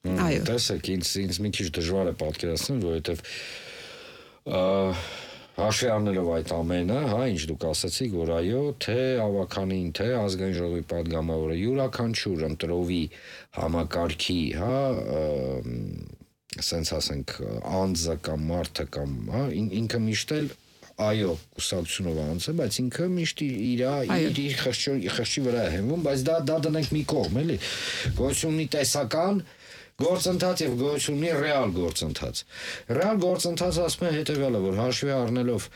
Այո։ Տեսեք, ինձ մի քիչ դժվար է պատկերացնել, որովհետեւ հաշվի առնելով այդ ամենը, ինչ դուք ասացիք, որ այո, թե ավականին, թե ազգային ժողովի падգամավորը յուրաքանչյուր ընտրովի համակարգի, ասենց ասենք, անձը կամ մարդը կամ, ինքը միշտ էլ այո, կուսակցությունով անց է, բայց ինքը միշտ իր խղճի վրա է հենվում, բայց դա դնենք մի կողմ, էլի։ Գոյություն ունի տեսական գործընթաց եւ գոյություն ունի ռեալ գործընթաց։ Ռեալ գործընթացը ասում է հետեւյալը, որ հաշվի առնելով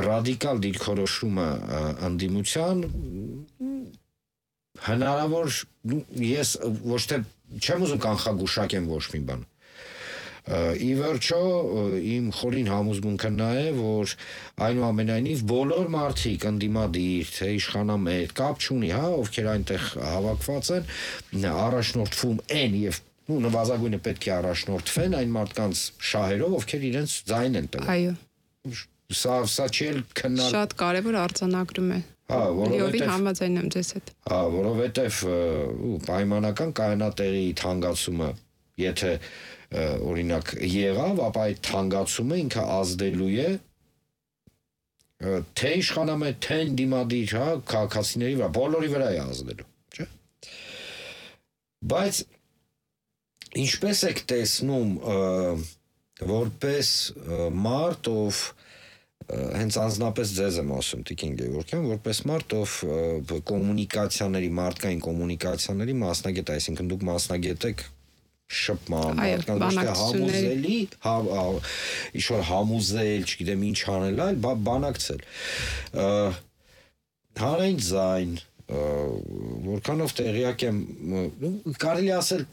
ռադիկալ դիրքորոշումը ընդդիմության, հնարավոր ես ոչ թե չեմ ուզում կանխագուշակեմ ոչ մի բան։ Ի վերջո իմ խորին համոզմունքը նա է, որ այնուամենայնիվ բոլոր մարդիկ ընդդիմադիր, թե իշխանամետ, կապ չունի, ովքեր այնտեղ հավաքված են, առաջնորդվում են եւ նվազագույնը պետք է առաջնորդվեն այն մարդկանց շահերով, ովքեր իրենց ձայն են տվել։ Այո։ Սա չէ քննարկում։ Շատ կարևոր արձանագրում է։ Որովհետեւ համաձայն եմ ձեզ հետ։ Որովհետեւ պայմանական կայանատեղի թանկացումը, եթե օրինակ եղավ, ապա այդ թանկացումը ինքը ազդելու է թե իշխանամետ, թե ընդդիմադիր, քաղաքացիների վրա, բոլորի վրա է ազդելու, չէ՞։ Բայց ինչպես եք տեսնում որպես մարդ, ով հենց անձնապես ձեզ եմ ասում, Տիկին Գևորգյան, որպես մարդ, ով կոմունիկացիաների, մարդկային կոմունիկացիաների մասնագետ, այսինքն դուք մասնագետ եք շփման, մարդկանց համոզելի, ինչ-որ համոզել, չգիտեմ ինչ անել, այլ բանակցել։ Հանրային ձայն, որքանով տեղյակ եմ, կարելի ասել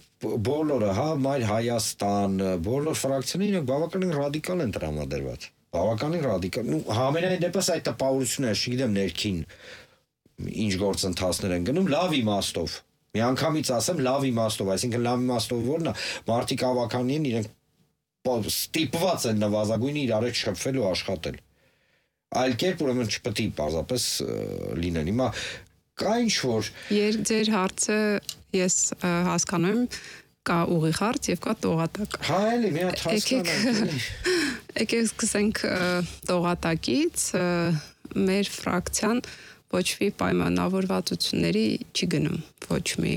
բոլորը, Մայր Հայաստան, բոլոր ֆրակցիաները բավականին ռադիկալ են տրամադրված։ բավականին ռադիկալ, համենայն դեպս այդ տպավորությունները, չգիտեմ ներքին ինչ գործընթացներ են գնում, լավ իմաստով, միանգամից ասեմ լավ իմաստով, այսինքն լավ իմաստով որն է, մարդիկ ավականին են, իրենք ստիպված են նվազագույնը իրար հետ շփվել ու աշխատել, այլ կերպ ուրեմն չպետք է պարզապես լինել, հիմա կա ինչ-որ Ձեր հարցը ես հասկանում եմ, կա ուղիղ հարց եւ կա տողատակ։ Հա, էլի մի հատ հասկանանք։ Եկեք սկսենք տողատակից, մեր ֆրակցիան ոչ մի պայմանավորվածությունների չի գնում, ոչ մի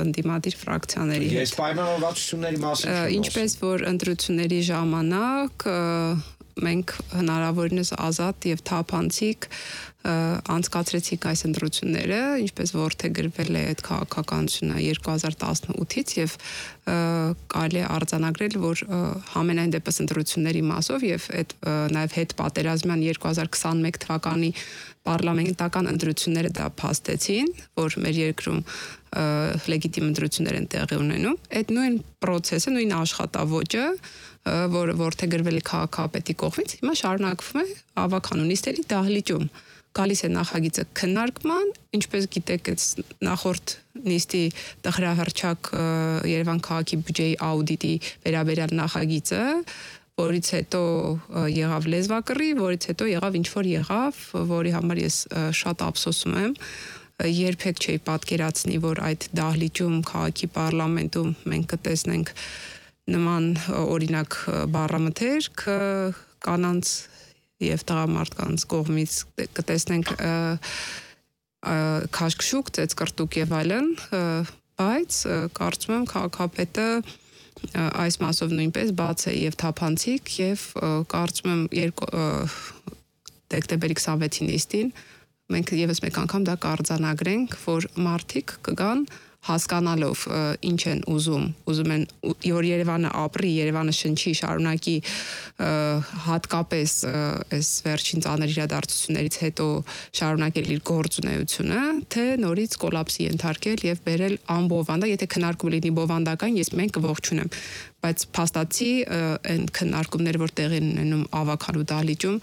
ընդդիմադիր ֆրակցիաների հետ։ Ես պայմանավորվածությունների մասին չեմ ասում։ Ինչպես որ ընտրությունների ժամանակ մենք հնարավորինս ազատ եւ թափանցիկ անցկացրեցինք այս ընտրությունները, ինչպես որդեգրվել է այդ քաղաքականությունը 2018-ից եւ կարելի է արձանագրել, որ համենայն դեպս ընտրությունների մասով եւ այդ նաեւ հետ պատերազմյան 2021 թվականի պարլամենտական ընտրությունները դա փաստեցին, որ մեր երկրում լեգիտիմ ընտրություններ են տեղի ունենում, այդ նույն process-ը, նույն աշխատավոճը, որը որդեգրվել է քաղաքապետի կողմից, հիմա շարունակվում է ավականունիստերի դահլիճում։ Գալիս է նախագիծը քննարկման, ինչպես գիտեք, նախորդ նիստի տխրահռչակ Երևան քաղաքի բյուջեի աուդիտի վերաբերյալ նախագիծը, որից հետո եղավ լեզվակռի, որից հետո եղավ ինչ-որ եղավ, որի համար ես շատ ափսոսում եմ, երբեք չէի պատկերացնի, որ այդ դահլիճում քաղաքի պարլամենտում մենք կտեսնենք նման օրինակ բառամթերք կանանց եւ տղամարդկանց կողմից կտեսնենք քաշքշուկ, ծեծկռտուկ եւ այլն, բայց կարծում եմ քաղաքապետը այս մասով նույնպես բաց է եւ թափանցիկ եւ կարծում եմ դեկտեմբերի 26-ի նիստին մենք եւս մեկ անգամ դա կարձանագրենք, որ մարդիկ կգան հասկանալով ինչ են ուզում են որ Երևանը ապրի, Երևանը շնչի, շարունակի հատկապես այս վերջին ծանր իրադարձություններից հետո շարունակել իր գործունեությունը, թե նորից կոլապսի ենթարկել եւ բերել անբովանդակ, եթե քննարկում լինի բովանդական, մենք կողջունեմ, բայց փաստացի այն քննարկումները, որ տեղի են ունենում ավականու դահլիճում,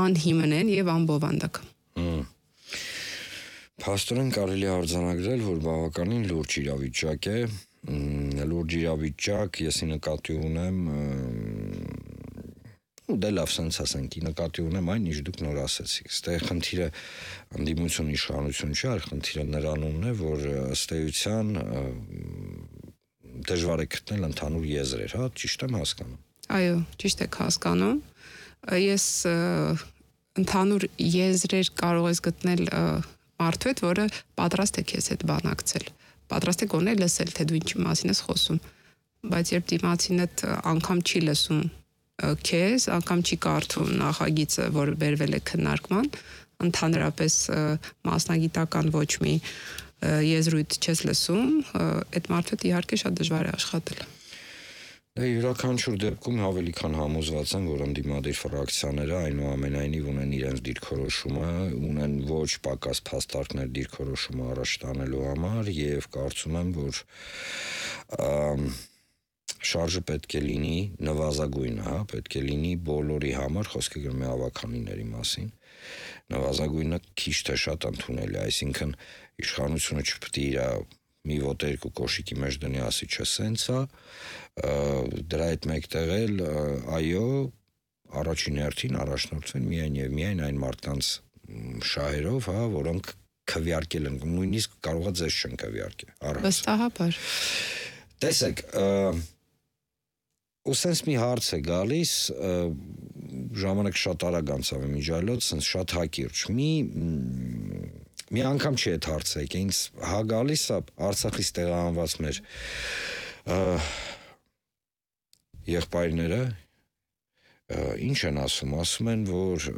անհիմն են եւ անբովանդակ։ Փաստորեն կարելի է արձանագրել, որ բավականին լուրջ իրավիճակ է, լուրջ իրավիճակ, եսի նկատի ունեմ, դե լավ սենց ասենք, նկատի ունեմ այն, ինչ դուք նոր ասեցիք, ստեղ խնդիրը ընդդիմություն իշխանություն չէ, այլ խնդիրը նրանումն է, որ ըստ էության դժվար է գտնել ընդհանուր եզրեր, հա, ճիշտ եմ հասկանում։ Այո, ճիշտ եք հասկանում։ Ես ընդհանուր եզրեր կարող ես գտնել մարդու հետ, որը պատրաստ է քեզ հետ բանակցել, պատրաստ է գոնե լսել, թե դու ինչի մասին ես խոսում, բայց երբ դիմացինդ անգամ չի լսում քեզ, անգամ չի կարդում նախագիծը, որը բերվել է քննարկման, ընդհանրապես մասնագիտական ոչ մի եզրույթ չես լսում, այդ մարդու հետ իհարկե շատ դժվար է աշխատել։ Դե յուրաքանչյուր դեպքում ավելի քան համոզված են, որ ընդդիմադիր ֆրակցիաները այնուամենայնիվ ունեն իրենց դիրքորոշումը, ունեն ոչ պակաս փաստարկներ դիրքորոշումը առաջ տանելու համար եւ կարծում եմ, որ շարժը պետք է լինի նվազագույնը, հա, պետք է լինի բոլորի համար, խոսքը գնում է ավականիների մասին, նվազագույնը քիչ թե շատ ընդունելի, այսինքն իշխանությունը չպետք է իր մի ոտ երկու կոշիկի մեջ դնի ասի չէ սենց է, դրա հետ մեկտեղ էլ այո, առաջին հերթին առաջնորդվեն միայն եւ միայն այն մարդկանց շահերով, հա, որոնք քվեարկել են, նույնիսկ կարող է ձեզ չեն քվեարկել։ Վստահաբար։ Տեսեք, ու սենց մի հարց է գալիս, ժամանակ շատ արագ անցավ է միջայլոց, սենց շատ հակիրճ, մի անգամ չի այդ հարցը եկե, ինձ հա գալիս է Արցախից տեղահանված մեր եղբայրները, ինչ են ասում են, որ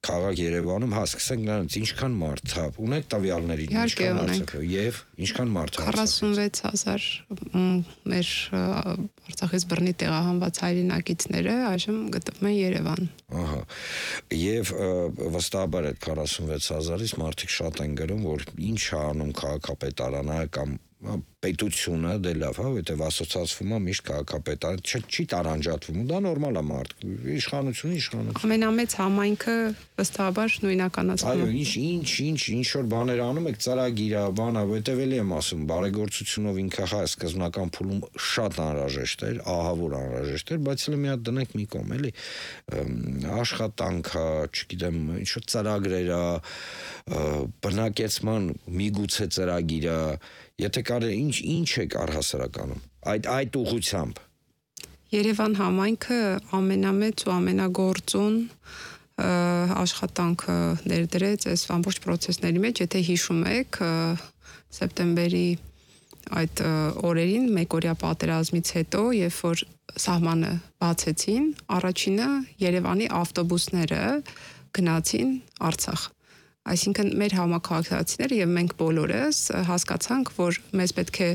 քաղաք Երևանում, հա, սկսենք նրանց, ինչքան մարդ, հա, ունեք տվյալների, ինչքան մարդ, եւ ինչքան մարդ 46,000 մեր Արցախից բռնի տեղահանված հայրենակիցները այժմ գտնվում են Երևան։ Ահա, եւ վստահաբար այդ 46,000-ից մարդիկ շատ են գրում, որ ինչ է անում քաղաքապետարանը կամ պետությունը դե լավ, հա, որտեվ ասոցիացվում է միշտ քաղաքապետարան, չի տարանջատվում, դա նորմալ է մարդ, իշխանություն։ Ամենամեծ համայնքը վստահաբար նույնականացվում է։ Այո, ինչ որ բաներ անում եք, ծրագիր է, բան է, որտեվ էլի եմ ասում, բարեգործությունով ինքը հա սկզբնական փուլում շատ անհրաժեշտ էր, ահավոր անհրաժեշտ էր, բայց էլ մի հատ դնենք մի կողմ, էլի աշխատանք է, չգիտեմ, ինչ որ ծրագրեր է, բնակեցման միգուցե ծրագիր է, եթե կարելի ինչ եք առհասարականում այդ ուղղությամբ։ Երևան համայնքը ամենամեծ ու ամենագործուն աշխատանքը ներդրեց այս ամբողջ process-ների մեջ, եթե հիշում եք, սեպտեմբերի այդ օրերին մեկօրյա պատերազմից հետո, երբ որ սահմանը բացեցին, առաջինը Երևանի ավտոբուսները գնացին Արցախ։ Այսինքն մեր համակարգացիները եւ մենք բոլորս հասկացանք, որ մեզ պետք է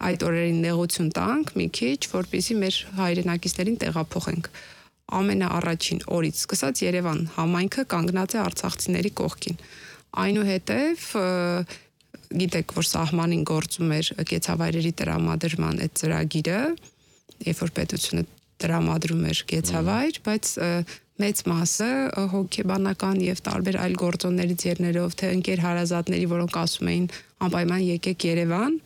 այդ օրերին նեղություն տանք մի քիչ, որպեսզի մեր հայրենակիցներին տեղափոխենք։ Ամենաառաջին օրից սկսած Երևան համայնքը կանգնած է արցախցիների կողքին։ Այնուհետև գիտեք, որ սահմանին գործում էր կեցավայրերի տրամադրման այդ ծրագիրը, երբ որ պետությունը տրամադրում էր կեցավայր, բայց մեծ մասը հոգեբանական եւ տարբեր այլ գործոններից ելնելով, թե ընկեր հարազատների, որոնք ասում էին անպայման եկեք Երևան,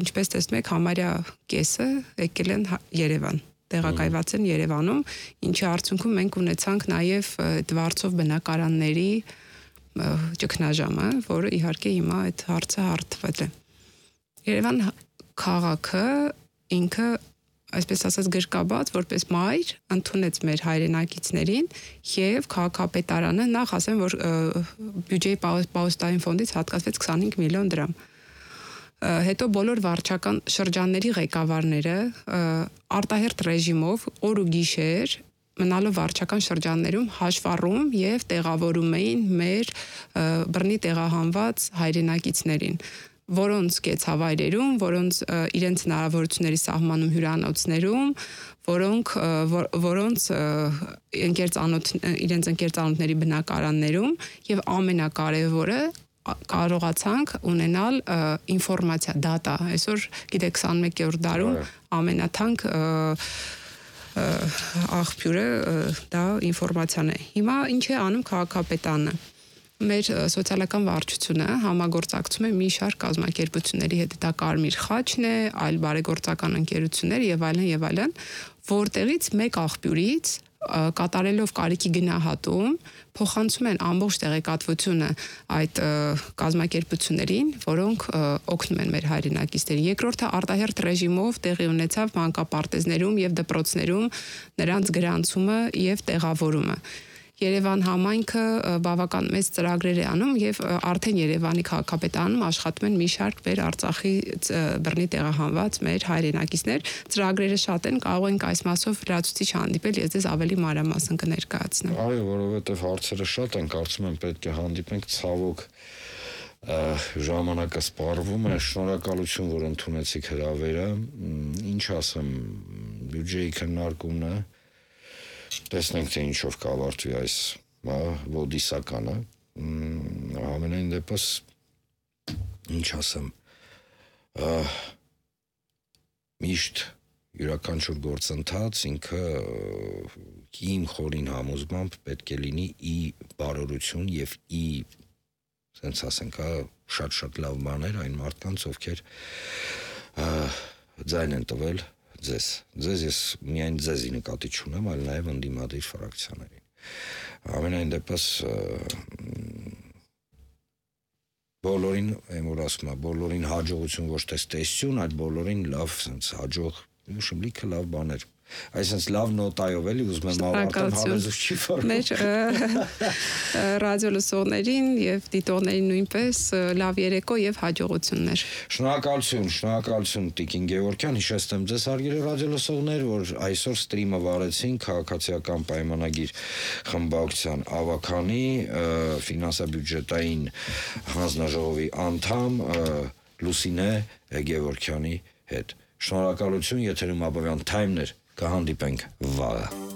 ինչպես տեսնում եք, համարյա կեսը եկել են Երևան, տեղակայված են Երևանում, ինչի արդյունքում մենք ունեցանք նաեւ դվարցով բնակարանների ճգնաժամը, որը իհարկե հիմա այդ հարցը հարթվել է։ Երևան քաղաքը ինքը այսպես ասած գրկաբաց, որպես մայր ընդունեց մեր հայրենակիցներին եւ քաղաքապետարանը նախ ասեմ, որ բյուջեի պահոստային ֆոնդից հատկացվեց 25 միլիոն դրամ։ Հետո բոլոր վարչական շրջանների ղեկավարները արտահերթ ռեժիմով օր ու գիշեր մնալով վարչական շրջաններում հաշվառում եւ տեղավորում էին մեր բռնի տեղահանված հայրենակիցներին, որոնց կեցավայրերում, որոնց իրենց հնարավորությունների սահմանում հյուրանոցներում, որոնց իրենց ընկերծանոթների բնակարաններում եւ ամենակարևորը կարողացանք ունենալ ինֆորմացիա, դատա։ Այսօր գիտեք 21-րդ դարում ամենաթանկ աղբյուրը դա ինֆորմացիան է։ Հիմա ինչ է անում քաղաքապետարանը։ Մեր սոցիալական վարչությունը համագործակցում է մի շարք կազմակերպությունների հետ, դա Կարմիր խաչն է, այլ բարեգործական ընկերություններ եւ այլն, որտեղից մեկ աղբյուրից կատարելով կարիքի գնահատում փոխանցում են ամբողջ տեղեկատվությունը այդ կազմակերպություններին, որոնք օգնում են մեր հայրենակիցներին։ Երկրորդը արտահերթ ռեժիմով տեղի ունեցավ մանկապարտեզներում եւ դպրոցներում նրանց գրանցումը եւ տեղավորումը։ Երևան համայնքը բավական մեծ ծրագրեր է անում եւ արդեն Երևանի քաղաքապետարանում աշխատում են մի շարք մեր Արցախի բռնի տեղահանված մեր հայրենակիցներ, ծրագրերը շատ են, կարող ենք այս մասով լրացուցիչ հանդիպել, ես ձեզ ավելի մանրամասն կներկայացնեմ։ Այո, որովհետեւ հարցերը շատ են, կարծում եմ պետք է հանդիպենք, ցավոք ժամանակը սպառվում է, շնորհակալություն, որ ընդունեցիք հրավերը, ինչ ասեմ, բյուջեի քննարկումն է, տեսնենք թե ինչով կավարտվի այս ոդիսականը, ամենայն դեպս ինչ ասեմ, միշտ յուրաքանչյուր գործընթաց ինքը իմ խորին համոզմամբ պետք է լինի ի բարօրություն եւ ի սենց ասենք, շատ լավ բաներ այն մարդկանց, ովքեր ձայն են տվել ձեզ ես միայն ձեզի նկատի չունեմ, այլ նաև ընդդիմադիր ֆրակցիաներին։ Ամենայն դեպս բոլորին, որ ասում եմ, բոլորին հաջողություն ոչ թե ստեսություն, այլ բոլորին լավ սենց հաջող, ուշում լիքը լավ բաներ։ Այսինքն լավ նոտայով էլի ուզում եմ ավարտել, հավերժ չի ֆորմում։ Մեր ռադիոլսողներին եւ դիտողներին նույնպես լավ երեկո եւ հաջողություններ։ Շնորհակալություն Տիկին Գևորգյան, հիշեցնեմ ձեզ հարգելի ռադիոլսողներ, որ այսօր ստրիմը վարեցին քաղաքացիական պայմանագիր խմբակցության ավականի ֆինանսա-բյուջետային հանձնաժողովի անդամ Լուսինե Գևորգյանի հետ։ Շնորհակալություն, եթերում Աբովյան Թայմն էր, կհանդիպենք վաղը։